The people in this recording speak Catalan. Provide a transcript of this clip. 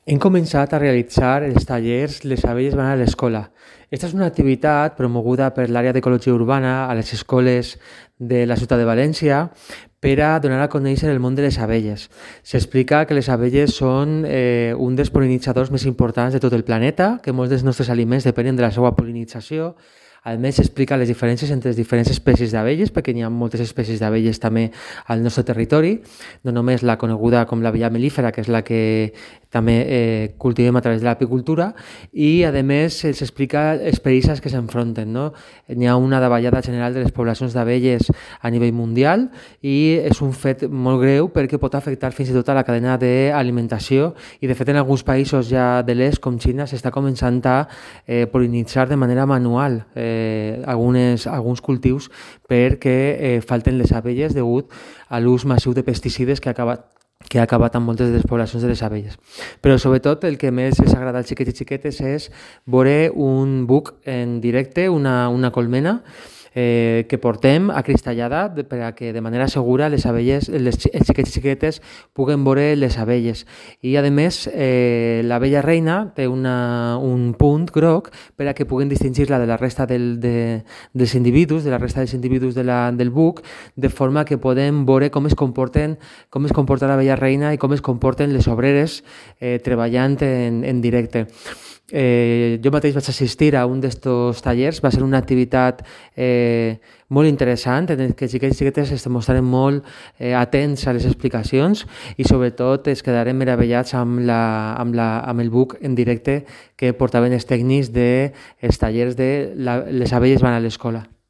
Hem començat a realitzar els tallers Les abelles van a l'escola. Aquesta és una activitat promoguda per l'àrea d'ecologia urbana a les escoles de la ciutat de València per a donar a conèixer el món de les abelles. S'explica que les abelles són un dels pol·linitzadors més importants de tot el planeta, que molts dels nostres aliments depenen de la seva pol·linització. A més, s'explica les diferències entre les diferents espècies d'abelles, perquè n'hi ha moltes espècies d'abelles també al nostre territori, no només la coneguda com l'abella melífera, que és la que també cultivem a través de l'apicultura, i a més s'explica els perills que s'enfronten. No? N'hi ha una davallada general de les poblacions d'abelles a nivell mundial i és un fet molt greu perquè pot afectar fins i tot a la cadena d'alimentació i de fet en alguns països ja de l'est com Xina s'està començant a pol·linitzar de manera manual alguns cultius perquè falten les abelles degut a l'ús massiu de pesticides que ha acabat amb moltes de les poblacions de les abelles. Però sobretot el que més els agrada als xiquets i xiquetes és veure un buc en directe, una colmena, que portem acristallada per a que de manera segura els xiquets i xiquetes puguen veure les abelles. I a més l'abella reina té un punt groc per a que puguen distingir-la de la resta dels individus, de la resta dels individus del buc, de forma que podem veure com es comporta l'abella reina i com es comporten les obreres treballant en directe. Jo mateix vaig assistir a un d'estos tallers, va ser una activitat molt interessant en què els xiquets i xiquetes es mostraven molt atents a les explicacions i sobretot es quedaren meravellats amb el buc en directe que portaven els tècnics dels tallers de Les abelles van a l'escola.